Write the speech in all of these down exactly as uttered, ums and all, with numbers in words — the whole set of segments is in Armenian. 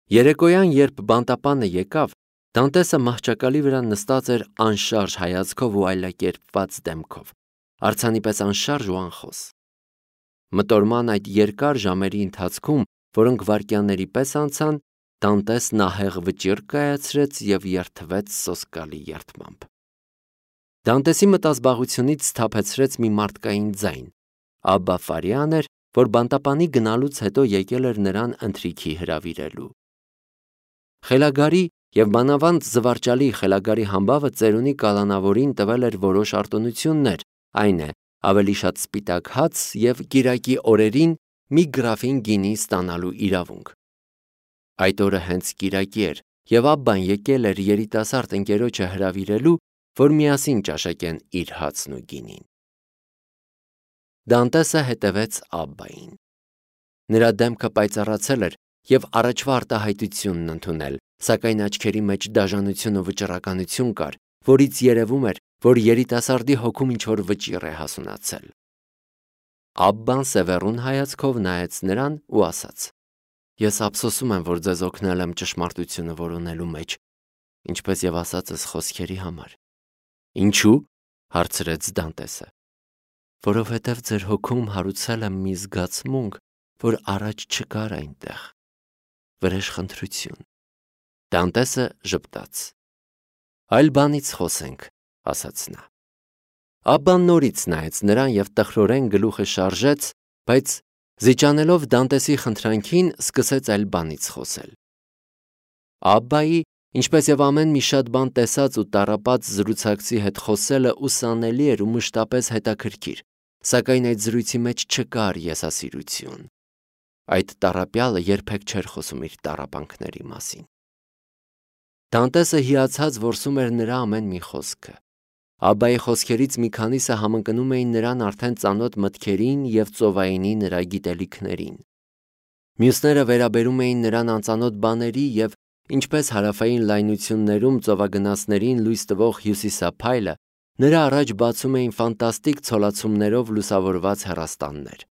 Երեկոյան, երբ բանտապանը եկավ, Դանտեսը մահճակալի վրա նստած էր անշարժ հայացքով ու այլակերպված դեմքով, արձանի պես անշարժ ու անխոս։ Մտորման այդ երկար ժամերի ընթացքում, որոնք վայրկյանների պես անցան, Դանտեսն ահեղ վճիռ կայացրեց և երդվեց սոսկալի երդմամբ։ Դանտեսի մտազբաղությունից սթափեցրեց մի մարդկային ձայն։ Աբբա Ֆարիան էր, որ բանտապանի գնալուց հետո եկել էր նրան ընթրիքի հրավիրելու։ Խելագարի և մանավանդ զվարճալի խելագարի համբավը ծերունի կալանավորին տվել էր որոշ արտոնություններ, այն է, ավելի շատ սպիտակ հաց և կիրակի օրերին մի գրաֆին գինի ստանալու իրավունք։ Այդ օրը հենց կիրակի էր, և Աբբան եկել էր երիտասարդ ընկերոջը հրավիրելու, որ միասին ճաշակեն իր հացն ու գինին։ Դանտեսը հետևեց Աբբային։ Նրա դեմքը պայծառացել էր և առաջվա արտահայտությունն ընդունել, սակայն աչքերի մեջ դաժանություն ու վճռականություն կար, որից երևում էր, որ երիտասարդի հոգում ինչ-որ վճիռ է հասունացել։ Աբբան սևեռուն հայացքով նայեց նրան ու ասաց. «Ես ափսոսում եմ, որ ձեզ օգնել եմ ճշմարտությունը որոնելու մեջ, ինչպես և ասածս խոսքերի համար»։ «Ինչու՞» հարցրեց Դանտեսը։ «Որովհետև ձեր հոգում հարուցել եմ մի զգացմունք, որ առաջ չկար այնտեղ. վրեժխնդրություն»։ Դանտեսը ժպտաց։ «Այլ բանից խոսենք», ասաց նա։ Աբբան նորից նայեց նրան և տխրորեն գլուխը շարժեց, բայց զիջանելով Դանտեսի խնդրանքին, սկսեց այլ բանից խոսել։ Աբբայի, ինչպես և ամեն մի շատ բան տեսած ու տառապած զրուցակցի հետ խոսելը ուսանելի էր ու մշտապես հետաքրքիր, սակայն այդ զրույցի մեջ չկար եսասիրություն։ Այդ տառապյալը երբեք չէր խոսում իր տառապանքների մասին։ Դանտեսը հիացած որսում էր նրա ամեն մի խոսքը։ Աբբայի խոսքերից մի քանիսը համընկնում էին նրան արդեն ծանոթ մտքերին և ծովայինի նրա գիտելիքներին։ Մյուսները վերաբերում էին նրան անծանոթ բաների և ինչպես հարավային լայնություններում ծովագնացներին լույս տվող հյուսիսափայլը, նրա առաջ բացում էին ֆանտաստիկ ցոլացումներով լուսավորված հեռաստաններ։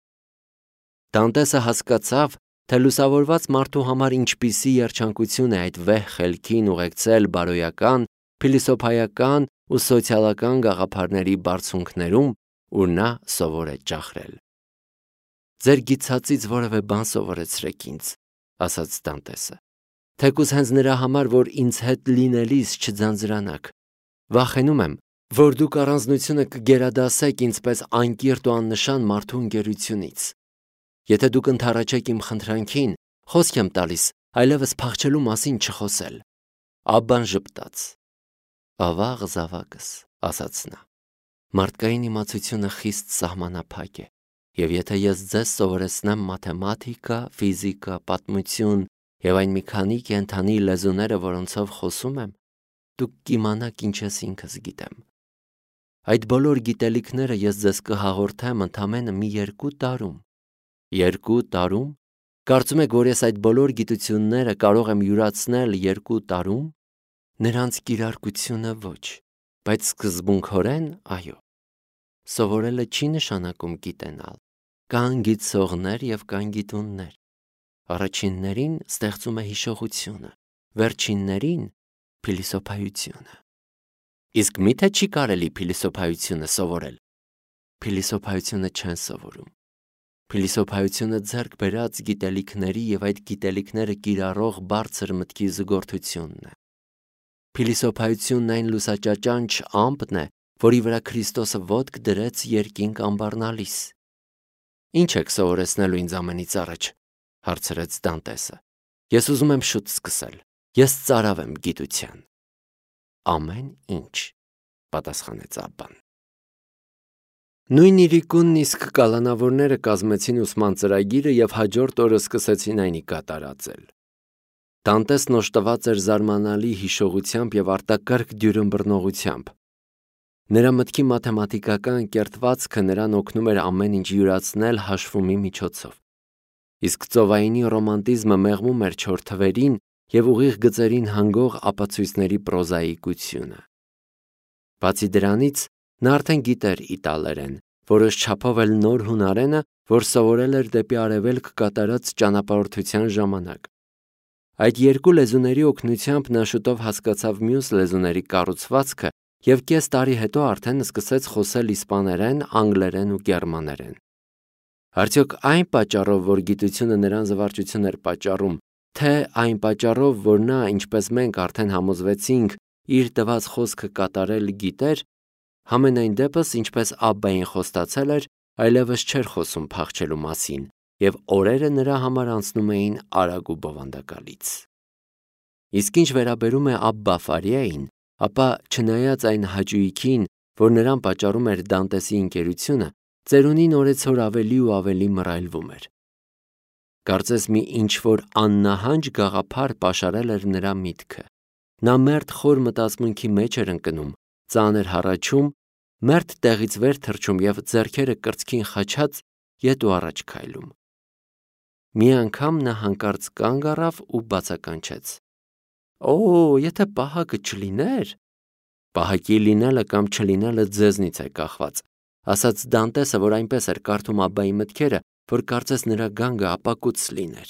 Դանտեսը հասկացավ, թե լուսավորված մարդու համար ինչպիսի երջանկություն է այդ վեհ խելքին ուղեկցել բարոյական, փիլիսոփայական ու սոցիալական գաղափարների բարձունքներում, ուր նա սովոր է ճախրել։ «Ձեր գիտածից որևէ բան սովորեցրեք ինձ», ասաց Դանտեսը, «թեկուզ հենց նրա համար, որ ինձ հետ լինելիս չձանձրանաք։ Վախենում եմ, որ դուք առանձնությունը կգերադասեք ինձ պես անկիրթ ու աննշան մարդու ընկերությունից։ Եթե դուք ընդառաջեք իմ խնդրանքին, խոսք եմ տալիս այլևս փախչելու մասին չխոսել»։ Աբբան ժպտաց։ «Ավաղ զավակս», ասաց նա, «մարդկային իմացությունը խիստ սահմանափակ է, և եթե ես ձեզ սովորեցնեմ մաթեմատիկա, ֆիզիկա, պատմություն և այն մի քանի կենդանի լեզուները, որոնցով խոսում եմ, դուք կիմանաք ինչ ես ինքս գիտեմ։ Այդ բոլոր գիտելիքները ես ձեզ կհաղորդեմ ընդամենը մի երկու տարում։ Երկու տարո՞ւմ։ Կարծում եք, որ ես այդ բոլոր գիտությունները կարող եմ յուրացնել երկու տարում։ Նրանց կիրարկությունը ոչ, բայց սկզբունքորեն այո։ Սովորելը չի նշանակում գիտենալ։ Կան գիտցողներ և կան գիտուններ։ Առաջիններին ստեղծում է հիշողությունը, վերջիններին՝ փիլիսոփայությունը։ Իսկ մի՞թե չի կարելի փիլիսոփայությունը սովորել։ Փիլիսոփայությունը չեն սովորում։ Փիլիսոփայությունը ձեռք բերած գիտելիքների և այդ գիտելիքները կիրառող բարձր մտքի զուգորդությունն է։ Փիլիսոփայությունն այն լուսաճաճանչ ամպն է, որի վրա Քրիստոսը ոտք դրեց երկինք ամբառնալիս։ «Ինչ եք սովորեցնելու ինձ ամենից առաջ», հարցրեց Դանտեսը։ «Ես ուզում եմ շուտ սկսել։ Ես ծարավ եմ գիտության»։ «Ամեն ինչ», պատասխանեց Աբբան։ Նույն իրիկունն իսկ կալանավորները կազմեցին ուսման ծրագիրը և հաջորդ օրը սկսեցին այն կատարածել։ Դանտեսն օժտված էր զարմանալի հիշողությամբ և արտակարգ դյուրըմբռնողությամբ։ Նրա մտքի մաթեմատիկական կերտվածքը նրան օգնում էր ամեն ինչ յուրացնել հաշվումի միջոցով։ Իսկ ծովայինի ռոմանտիզմը մեղմում էր չոր թվերին և ուղիղ գծերին հանգող ապացույցների պրոզաիկությունը։ Բացի դրանից, նա արդեն գիտեր իտալերեն, որոշ չափով էլ նոր հունարենը, որ սովորել էր դեպի արևելք կատարած ճանապարհորդության ժամանակ։ Այդ երկու լեզուների օգնությամբ նա շուտով հասկացավ մյուս լեզուների կառուցվածքը և կես տարի հետո արդեն սկսեց խոսել իսպաներեն, անգլերեն ու գերմաներեն։ Արդյոք այն պատճառով, որ գիտությունը նրան զվարճություն էր պատճառում, թե այն պատճառով, որ նա, ինչպես մենք արդեն համոզվեցինք, իր տված խոսքը կատարել գիտեր, համենայն դեպս, ինչպես Աբբային խոստացել էր, այլևս չէր խոսում փախչելու մասին, և օրերը նրա համար անցնում էին արագ ու բովանդակալից։ Իսկ ինչ վերաբերում է Աբբա Ֆարիային, ապա չնայած այն հաճույքին, որ նրան պատճառում էր Դանտեսի ընկերությունը, ծերունին օրեցօր ավելի ու ավելի մռայլվում էր։ Կարծես մի ինչ-որ աննահանջ գաղափար պաշարել էր նրա միտքը։ Նա մերթ խոր մտածմունքի մեջ էր ընկնում, ծանր հառաչում, մերթ տեղից վեր թռչում և ձեռքերը կրծքին խաչած ետ ու առաջ քայլում։ Մի անգամ նա հանկարծ կանգ առավ ու բացականչեց. «Օ, եթե պահակը չլիներ»։ «Պահակի լինելը կամ չլինելը ձեզնից է կախված», ասաց Դանտեսը, որ այնպես էր կարդում Աբբայի մտքերը, որ կարծես նրա գանգը ապակուց լիներ։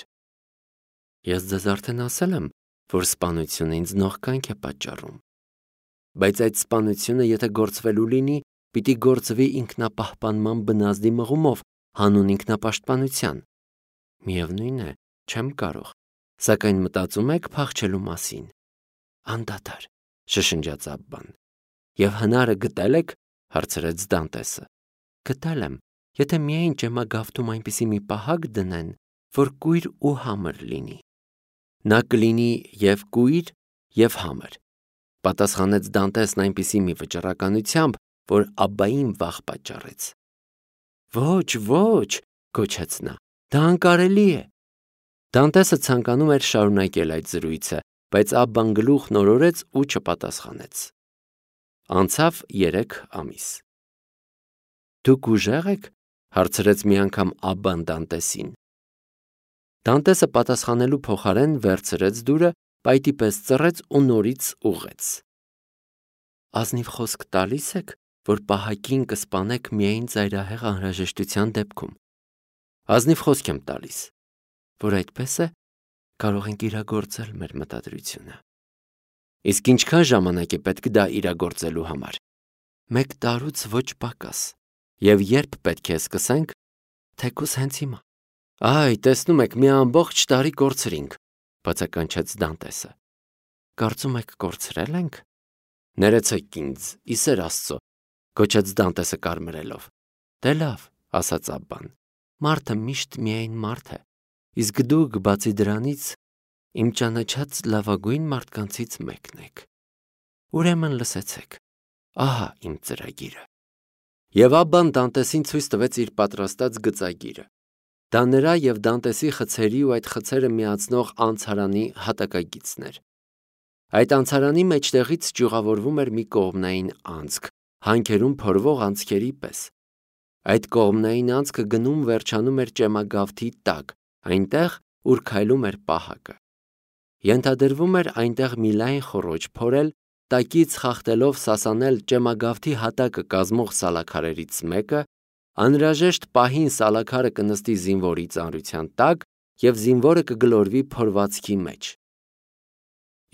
«Ես ձեզ արդեն ասել եմ, որ սպանությունը ինձ նողկանք է պատճառում։ Բայց այդ սպանությունը, եթե գործվելու լինի, պիտի գործվի ինքնապահպանման բնազդի մղումով, հանուն ինքնապաշտպանության։ Միևնույն է, չեմ կարող, սակայն մտածում եք փախչելու մասին»։ «Անդադար», շշնջաց Աբբան։ «Եվ հնարը գտել եք»։ Հարցրեց Դանտեսը։ «Գտել եմ, եթե միայն ճեմագավթում այնպիսի մի պահակ դնեն, որ կույր ու համր լինի»։ «Նա կլինի և կույր, և համր», պատասխանեց Դանտեսն այնպիսի մի վճռականությամբ, որ Աբբային վախ պատճառեց։ «Ոչ, ոչ», գոչեց նա, «դա անկարելի է»։ Դանտեսը ցանկանում էր շարունակել այդ զրույցը, բայց Աբբան գլուխն օրորեց ու չպատասխանեց։ Անցավ երեք ամիս։ «Դուք ուժեղ եք»։ հարցրեց մի անգամ Աբբան Դանտեսին։ Դանտեսը պատասխանելու փոխարեն վերցրեց դուրը, պայտի պես ծռեց ու նորից ուղղեց։ «Ազնիվ խոսք տալի՞ս եք, որ պահակին կսպանեք միայն ծայրահեղ անհրաժեշտության դեպքում»։ «Ազնիվ խոսք եմ տալիս»։ «Որ այդպես է, կարող ենք իրագործել մեր մտադրությունը»։ «Իսկ ինչքան ժամանակ է պետք դա իրագործելու համար»։ «Մեկ տարուց ոչ պակաս»։ «Եվ երբ պետք է սկսենք»։ «Թեկուզ հենց հիմա»։ «Այ, տեսնում եք, մի ամբողջ տարի կորցրինք», բացականչեց Դանտեսը։ «Կարծում եք կորցրել ենք»։ «Ներեցեք ինձ, ի սեր Աստծո», գոչեց Դանտեսը կարմրելով։ «Դե լավ», ասաց Աբբան, «մարդը միշտ միայն մարդ է, իսկ դուք, բացի դրանից, իմ ճանաչած լավագույն մարդկանցից մեկն եք։ Ուրեմն լսեցեք, ահա իմ ծրագիրը»։ Եվ Աբբան Դանտեսին ցույց տվեց իր պատրաստած գծագիրը։ Դա նրա և Դանտեսի խցերի ու այդ խցերը միացնող անցարանի հատակագիծն էր։ Այդ անցարանի մեջտեղից ճյուղավորվում էր մի կողմնային անցք, հանքերում փորվող անցքերի պես։ Այդ կողմնային անցքը գնում վերջանում էր ճեմագավթի տակ, այնտեղ, ուր քայլում էր պահակը։ Ենթադրվում էր այնտեղ մի լայն խոռոչ փորել, տակից խախտելով սասանել ճեմագավթի հատակը կազմող սալաքարերից մեկը, անհրաժեշտ պահին սալաքարը կնստի զինվորի ծանրության տակ և զինվորը կգլորվի փորվածքի մեջ։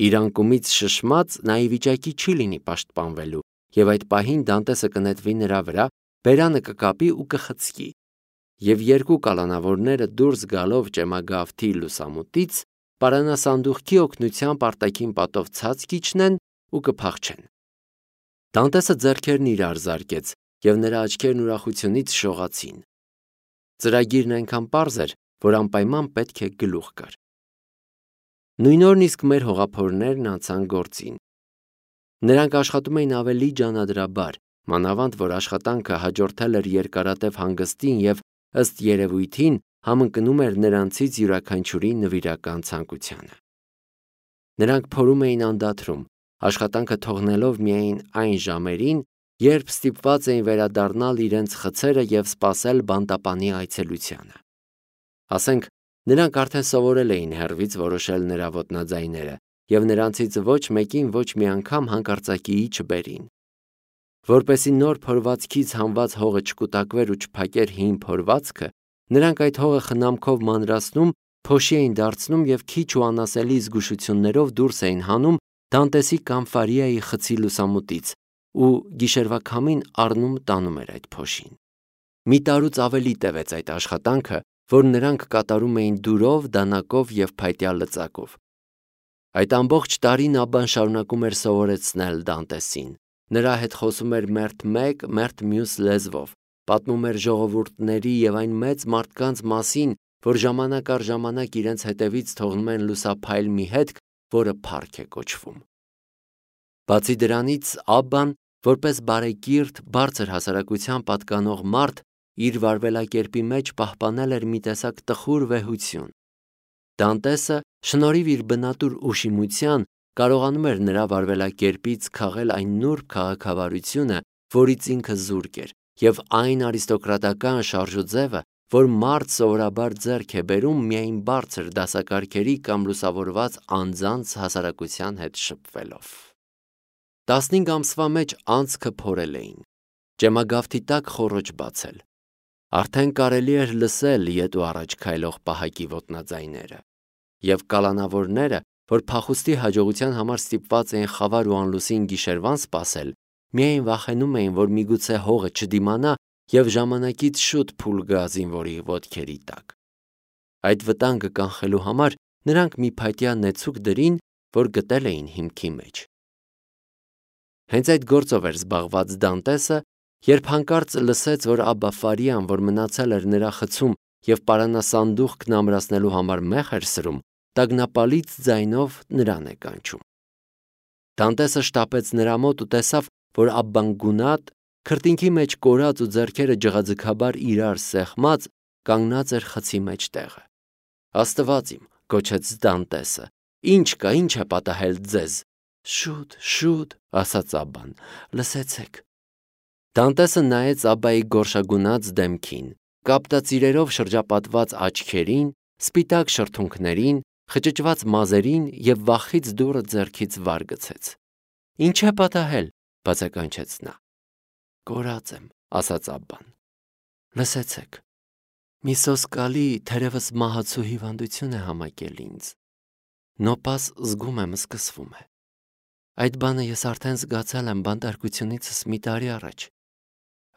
Իր անկումից շշմած նա ի վիճակի չի լինի պաշտպանվելու, և այդ պահին Դանտեսը կնետվի նրա վրա, բերանը կկապի ու կխցկի, և երկու կալանավորները դուրս գալով ճեմագավթի լուսամուտից, պարանասանդուղքի օգնությամբ արտաքին պատով ցած կիջնեն ու կփախչեն։ Դանտեսը ձեռքերն իրար զարկեց, և նրա աչքերն ուրախությունից շողացին։ Ծրագիրն այնքան պարզ էր, որ անպայման պետք է գլուխ կար։ Նույն օրն իսկ մեր հողափորներն անցան գործին։ Նրանք աշխատում էին ավելի ջանադրաբար, մանավանդ որ աշխատանքը հաջորդել էր երկարատև հանգստին և, ըստ երևույթին, համընկնում էր նրանցից յուրաքանչյուրի նվիրական ցանկությանը։ Նրանք փորում էին անդադրում, աշխատանքը թողնելով միայն այն ժամերին, երբ ստիպված էին վերադառնալ իրենց խցերը և սպասել բանտապանի այցելությանը։ Ասենք, նրանք արդեն սովորել էին հեռվից որոշել նրա ոտնաձայները, և նրանցից ոչ մեկին ոչ մի անգամ հանկարծակիի չբերին։ Որպեսզի նոր փորվածքից հանված հողը չկուտակվեր ու չփակեր հին փորվածքը, նրանք այդ հողը խնամքով մանրացնում փոշի էին դարձնում և քիչ ու անասելի զգուշություններով դուրս էին հանում Դանտեսի կամ Ֆարիայի խցի լուսամուտից ու գիշերվա քամին առնում տանում էր այդ փոշին։ Մի տարուց ավելի տևեց այդ աշխատանքը, որ նրանք կատարում էին դուրով, դանակով և փայտյա լծակով։ Այդ ամբողջ տարին Աբբան շարունակում էր սովորեցնել Դանտեսին։ Նրա հետ խոսում էր մերթ մեկ, մերթ մյուս լեզվով, պատմում էր ժողովուրդների և այն մեծ մարդկանց մասին, որ ժամանակ առ ժամանակ իրենց հետևից թողնում են լուսափայլ մի հետք, որը փառք է կոչվում։ Բացի դրանից, Աբբան, որպես բարեկիրթ, բարձր հասարակության պատկանող մարդ, իր վարվելակերպի մեջ պահպանել էր մի տեսակ տխուր վեհություն։ Դանտեսը, շնորհիվ իր բնատուր ուշիմության, կարողանում էր նրա վարվելակերպից քաղել այն նուրբ քաղաքավարությունը, որից ինքը զուրկ էր, և այն արիստոկրատական շարժուձևը, որ մարդ սովորաբար ձեռք է բերում միայն բարձր դասակարգերի կամ լուսավորված անձանց հասարակության հետ շփվելով։ Տասնհինգ ամսվա մեջ անցքը փորել էին, ճեմագավթի տակ խոռոչ բացել։ Արդեն կարելի էր լսել ետ ու առաջ քայլող պահակի ոտնաձայները, և կալանավորները, որ փախուստի հաջողության համար ստիպված էին խավար ու անլուսին գիշերվան սպասել, միայն վախենում էին, որ միգուցե հողը չդիմանա և ժամանակից շուտ փուլ գա զինվորի ոտքերի տակ։ Այդ վտանգը կանխելու համար նրանք մի փայտյա նեցուկ դրին, որ գտել էին հիմքի մեջ։ Հենց այդ գործով էր զբաղված Դանտեսը, երբ հանկարծ լսեց, որ Աբբա Ֆարիան, որ մնացել էր նրա խցում և պարանասանդուղքն ամրացնելու համար մեխ էր սրում, տագնապալից ձայնով նրան է կանչում։ Դանտեսը շտապեց նրա մոտ ու տեսավ, որ Աբբան գունատ, քրտինքի մեջ կորած ու ձեռքերը ջղաձգաբար իրար սեղմած, կանգնած էր խցի մեջտեղը։ Աստված իմ, գոչեց Դանտեսը, ի՞նչ կա, ի՞նչ է պատահել ձեզ։ Շուտ, շուտ, ասաց Աբբան, լսեցեք։ Դանտեսը նայեց Աբբայի գորշագունած դեմքին, կապտածիրերով շրջապատված աչքերին, սպիտակ շրթունքներին, խճճված մազերին և վախից դուռը ձեռքից վար գցեց։ Ինչ է պատահել, բացականչեց նա։ Կորած եմ, ասաց Աբբան։ Լսեցեք, մի սոսկալի, թերևս մահացու հիվանդություն է համակել ինձ։ Նոպաս զգում եմ սկսվում է։ Այդ բանը ես արդեն զգացել եմ բանտարկությունիցս մի տարի առաջ։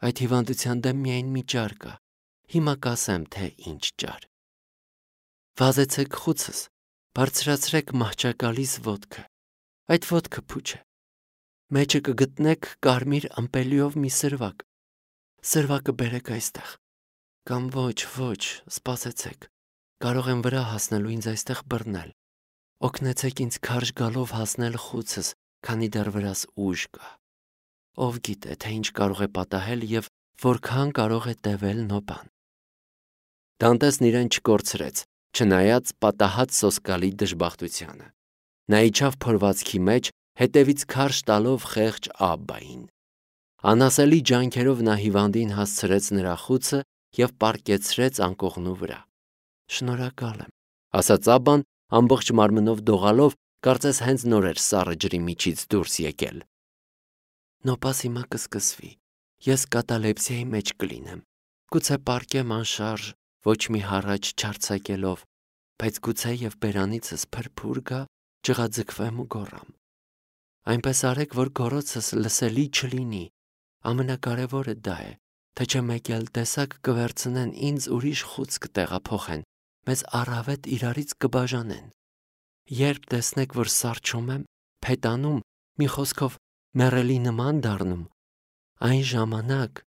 Այդ հիվանդության դեմ միայն մի ճար կա, հիմա կասեմ, թե ինչ ճար։ Վազեցեք խուցս, բարձրացրեք մահճակալիս ոտքը, այդ ոտքը փուչ է։ Մեջը կգտնեք կարմիր ըմպելիով մի սրվակ, սրվակը բերեք այստեղ, կամ ոչ, ոչ, սպասեցեք, կարող եմ վրա հասնելու ինձ այստեղ բռնել, օգնեցեք ինձ քարշ գալով հասնել խուցս, քանի դեռ վրաս ուժ կա։ Ով գիտե, թե ինչ կարող է պատահել և որքան կարող է տևել նոպան։ Դանտեսն իրեն չկորցրեց, չնայած պատահած սոսկալի դժբախտությանը։ Նա իջավ փորվածքի մեջ, հետևից քարշ տալով խեղճ Աբբային։ Անասելի ջանքերով նա հիվանդին հասցրեց նրա խուցը և պառկեցրեց անկողնու վրա։ Շնորհակալ եմ, ասաց Աբբան, ամբողջ մարմնով դողալով, կարծես հենց նոր էր սառը ջրի միջից դուրս եկել։ Նոպաս հիմա կսկսվի, ես կատալեպսիայի մեջ կլինեմ, գուցե պառկեմ անշարժ, ոչ մի հառաչ չարձակելով, բայց գուցե և բերանիցս փրփուր գա, ջղաձգվեմ ու գոռամ։ Այնպես արեք, որ գոռոցս լսելի չլինի, ամենակարևորը դա է, թե չէ մեկ էլ տեսակ կվերցնեն ինձ ուրիշ խուց կտեղափոխեն, մեզ առավետ իրարից կբաժանեն։ Երբ տեսնեք, որ սառչում եմ, փետանում, մի խոսքով մեռելի նման դառնում, այն ժամանակ,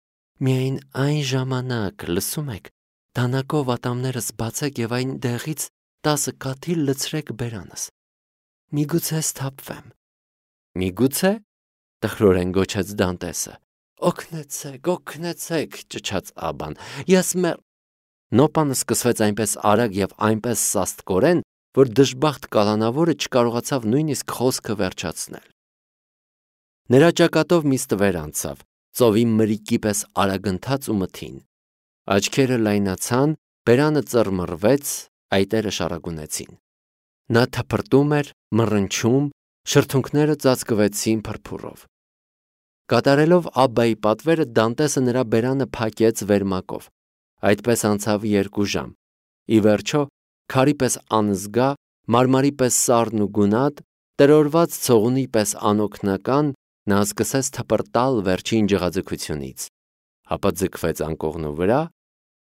միայն այն ժամանակ, լսում եք, դանակով ատամներս բացեք և այն դեղից տասը կաթիլ լցրեք բերանս։ Միգուցե սթափվեմ։ Միգուցե, տխրորեն գոչեց Դանտեսը։ Օգնեցեք, օգնեցեք, ճչաց Աբբան, ես մեռ… Նոպանը սկսվեց այնպես արագ և այնպես սաստկորեն, որ դժբախտ կալանավորը չկարողացավ նույնիսկ խոսքը վերջացնել։ Նրա ճակատով մի ստվեր անցավ, ծովի մրիկի պես արագընթաց ու մթին։ Աչքերը լայնացան, բերանը ծռմռվեց, այտերը շարագունեցին։ Նա թփրտում էր, մռնչում, շրթունքները ծածկվեցին փրփուրով։ Կատարելով Աբբայի պատվերը, Դանտեսը նրա բերանը փակեց վերմակով։ Այդպես անցավ երկու ժամ։ Ի վերջո, քարի պես անզգա, մարմարի պես սառն ու գունատ, տրորված ցողունի պես անօգնական, նա սկսեց թպրտալ վերջին ջղաձգությունից, ապա ձգվեց անկողնու վրա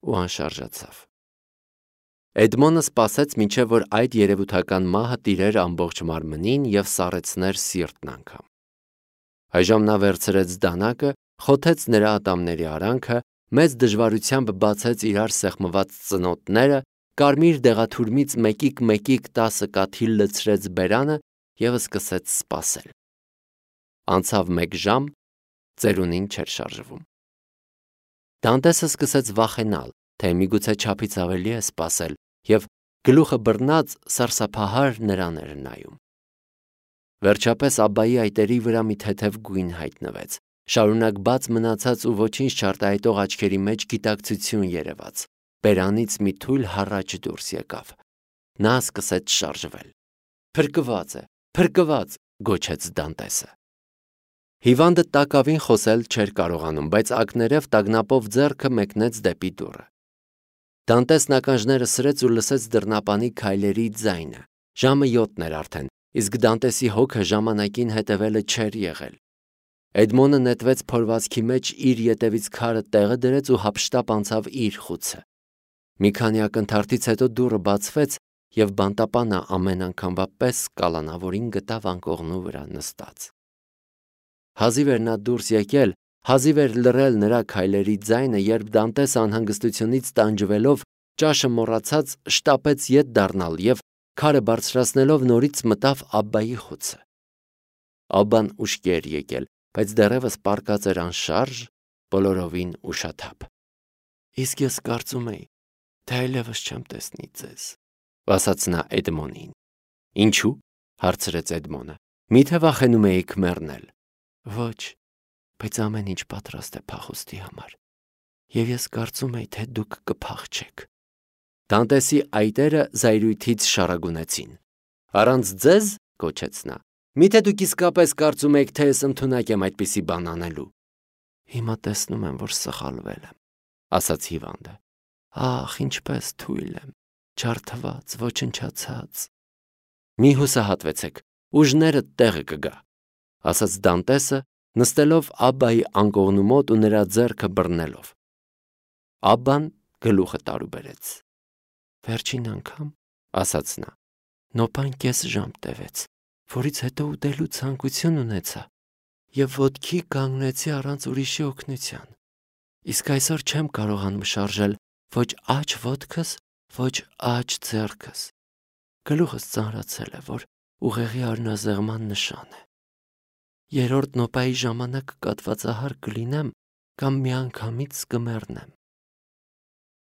ու անշարժացավ։ Էդմոնը սպասեց մինչև որ այդ երևութական մահը տիրեր ամբողջ մարմնին և սառեցներ սիրտն անգամ։ Այժմ նա վերցրեց դանակը, խոթեց նրա ատամների արանքը, մեծ դժվարությամբ բացեց իրար սեղմված ծնոտները, կարմիր դեղաթուրմից մեկիկ-մեկիկ տասը կաթիլ լցրեց բերանը և սկսեց սպասել։ Անցավ մեկ ժամ, ծերունին չէր շարժվում։ Դանտեսը սկսեց վախենալ, թե միգուցե չափից ավելի է սպասել, և գլուխը բռնած սարսափահար նրան էր նայում։ Վերջապես Աբբայի այտերի վրա մի թեթև գույն հայտնվեց, շարունակ բաց մնացած ու ոչինչ չարտահայտող աչքերի մեջ գիտակցություն երևաց, բերանից մի թույլ հառաչ դուրս եկավ։ Նա սկսեց շարժվել։ Փրկված է, փրկված, գոչեց Դանտեսը։ Հիվանդը տակավին խոսել չէր կարողանում, բայց ակներև տագնապով ձեռքը մեկնեց դեպի դուռը։ Դանտեսն ականջները սրեց ու լսեց դռնապանի քայլերի ձայնը։ Ժամը յոթն էր արդեն, իսկ Դանտեսի հոգը ժամանակին հետևելը չէր եղել։ Էդմոնը նետվեց փորվածքի մեջ, իր ետևից քարը տեղը դրեց ու հափշտապ անցավ իր խուցը։ Մի քանի ակնթարթից հետո դուռը բացվեց, և բանտապանը ամեն անգամվա պես կալանավորին գտավ անկողնու վրա նստած։ Հազիվ էր նա դուրս եկել, հազիվ էր լռել նրա քայլերի ձայնը, երբ Դանտեսը անհանգստությունից տանջվելով, ճաշը մոռացած, շտապեց ետ դառնալ և քարը բարձրացնելով նորից մտավ Աբբայի խուցը։ Աբբան ուշքի էր եկել, բայց դեռևս պառկած էր անշարժ, բոլորովին ուշաթափ։ Իսկ ես կարծում էի, թե այլևս չեմ տեսնի ձեզ, ասաց նա Էդմոնին։ Ինչու՞, հարցրեց Էդմոնը։ Միթե վախենում էիք մեռնել։ Ոչ, բայց ամեն ինչ պատրաստ է փախուստի համար, և ես կարծում էի, թե դուք կփախչեք։ Դանտեսի այտերը զայրույթից շարագունեցին։ Առանց ձեզ, գոչեց նա, միթե դուք իսկապես կարծում եք, թե ես ընդունակ եմ այդպիսի բան անելու։ Հիմա տեսնում եմ, որ սխալվել եմ, ասաց հիվանդը։ Ախ, ինչպես թույլ եմ, ջարդված, ոչնչացած։ Մի հուսահատվեցեք, ուժներդ տեղը կգա, ասաց Դանտեսը, նստելով Աբբայի անկողնու մոտ ու նրա ձեռքը բռնելով։ Աբբան գլուխը տարուբերեց։ Վերջին անգամ, ասաց նա, նոպան կես ժամ տևեց, որից հետո ուտելու ցանկություն ունեցա և ոտքի կանգնեցի առանց ուրիշի օգնության։ Իսկ այսօր չեմ կարողանում շարժել ոչ աջ ոտքս, ոչ աջ ձեռքս։ Գլուխս ծանրացել է, որ ուղեղի արյունազեղման նշան է։ Երրորդ նոպայի ժամանակ կատվածահար կլինեմ կամ միանգամից կմեռնեմ։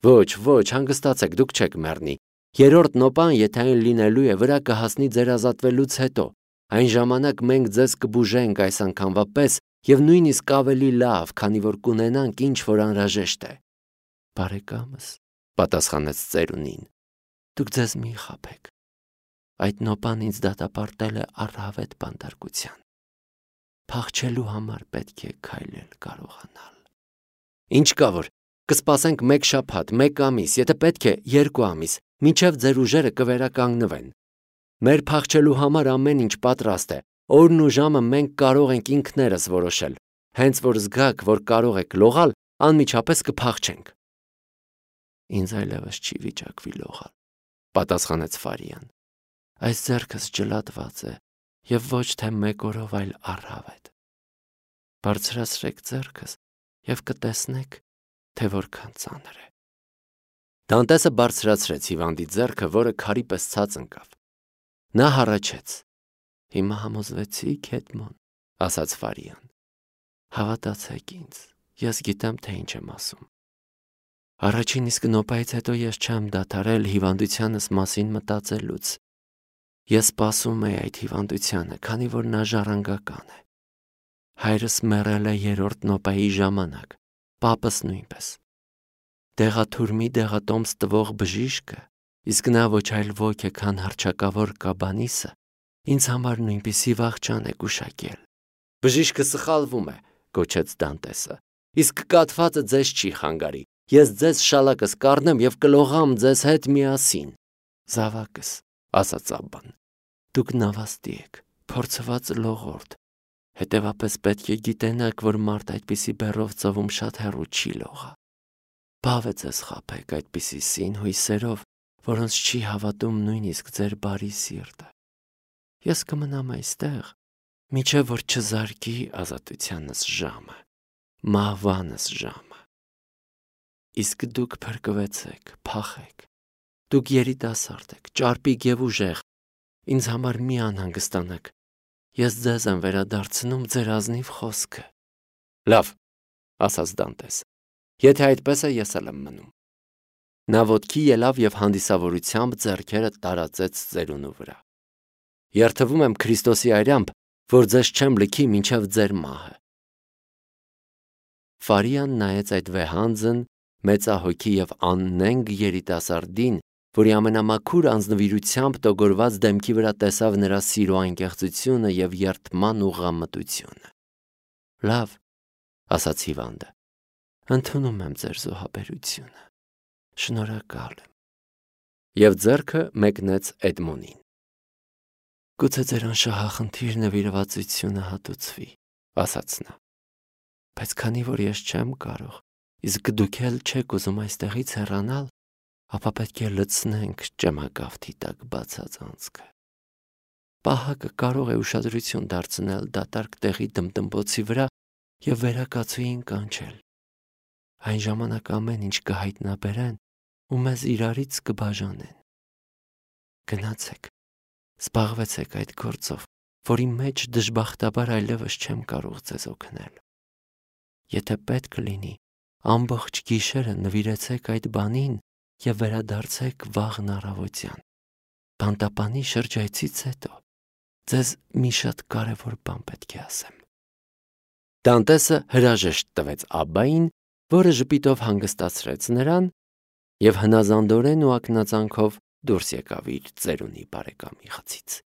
Ոչ, ոչ, հանգստացեք, դուք չեք մեռնի։ Երրորդ նոպան, եթե այն լինելու է, վրա կհասնի ձեր ազատվելուց հետո։ Այն ժամանակ մենք ձեզ կբուժենք այս անգամվա պես և նույնիսկ ավելի լավ, քանի որ կունենանք ինչ որ անհրաժեշտ է։ Բարեկամս, պատասխանեց ծերունին, դուք ձեզ մի խաբեք։ Այդ նոպան ինձ դատապարտել է առհավետ բանտարկության։ Փախչելու համար պետք է քայլել կարողանալ։ Ինչ կա որ, կսպասենք մեկ շաբաթ, մեկ ամիս, եթե պետք է երկու ամիս, մինչև ձեր ուժերը կվերականգնվեն։ Մեր փախչելու համար ամեն ինչ պատրաստ է, օրն ու ժամը մենք կարող ենք ինքներս որոշել, հենց որ զգաք, որ կարող եք լողալ, անմիջապես կփախչենք։ Ինձ այլևս չի վիճակվի լողալ, պատասխանեց Ֆարիան։ Այս ձեռքս ջլատված է և ոչ թե մեկ օրով, այլ առհավետ։ Բարձրացրեք ձեռքս և կտեսնեք, թե որքան ծանր է։ Դանտեսը բարձրացրեց հիվանդի ձեռքը, որը քարի պես ցած ընկավ։ Նա հառաչեց. Հիմա համոզվեցիք, Էդմոն, ասաց Ֆարիան։ Հավատացեք ինձ, ես գիտեմ, թե ինչ եմ ասում։ Առաջին իսկ նոպայից հետո ես չեմ դադարել հիվանդությանս մասին մտածելուց։ Ես սպասում էի այդ հիվանդությանը, քանի որ նա ժառանգական է։ Հայրս մեռել է երրորդ նոպայի ժամանակ, պապս նույնպես։ Դեղաթուրմի դեղատոմս տվող բժիշկը, իսկ նա ոչ այլ ոք է, քան հռչակավոր Կաբանիսը, ինձ համար նույնպիսի վախճան է գուշակել։ Բժիշկը սխալվում է, գոչեց Դանտեսը, իսկ կաթվածը ձեզ չի խանգարի։ Ես ձեզ շալակս կառնեմ և կլողամ ձեզ հետ միասին։ Զավակս, ասաց Աբբան, դուք նավաստի եք, փորձված լողորդ, հետևապես պետք է գիտենաք, որ մարդ այդպիսի բեռով ծովում շատ հեռու չի լողա։ Բավ է ձեզ խաբեք այդպիսի սին հույսերով, որոնց չի հավատում նույնիսկ ձեր բարի սիրտը։ Ես կմնամ այստեղ, մինչև որ չզարկի ազատությանս ժամը, մահվանս ժամը։ Իսկ դուք փրկվեցեք, փախեք։ Դուք երիտասարդ եք, ճարպիկ և ուժեղ, ինձ համար մի անհանգստանաք, ես ձեզ եմ վերադարձնում ձեր ազնիվ խոսքը։ Լավ, ասաց Դանտես, եթե այդպես է, ես էլ եմ մնում։ Նա ոտքի ելավ և հանդիսավորությամբ ձեռքերը տարածեց ծերունու վրա։ Երդվում եմ Քրիստոսի այրամբ, որ ձեզ չեմ լքի մինչև ձեր մահը։ Ֆարիան նայեց այդ վեհանձն, մեծահոգի և աննենգ երիտասարդին, որի ամենամաքուր անձնվիրությամբ տոգորված դեմքի վրա տեսավ նրա սիրո անկեղծությունը և երդման ուղղամտությունը։ Լավ, ասաց հիվանդը, ընդունում եմ ձեր զոհաբերությունը, շնորհակալ եմ։ Եվ ձեռքը մեկնեց Էդմոնին։ Գուցե ձեր անշահախնդիր նվիրվածությունը հատուցվի, ասաց նա, բայց քանի որ ես չեմ կարող, իսկ դուք էլ չեք ուզում այստեղից հեռանալ, ապա պետք է լցնենք ճեմագավթի տակ բացած անցքը։ Պահակը կարող է ուշադրություն դարձնել դատարկ տեղի դմդմբոցի վրա և վերակացուին կանչել։ Այն ժամանակ ամեն ինչ կհայտնաբերեն ու մեզ իրարից կբաժանեն։ Գնացեք, զբաղվեցեք այդ գործով, որի մեջ դժբախտաբար այլևս չեմ կարող ձեզ օգնել։ Եթե պետք լինի, ամբողջ գիշերը նվիրեցեք այդ բանին և վերադարձեք վաղն առավոտյան։ Բանտապանի շրջայցից հետո ձեզ մի շատ կարևոր բան պետք է ասեմ։ Դանտեսը հրաժեշտ տվեց Աբբային, որը ժպիտով հանգստացրեց նրան և հնազանդորեն ու ակնածանքով դուրս եկավ իր ծերունի բարեկամի խցից։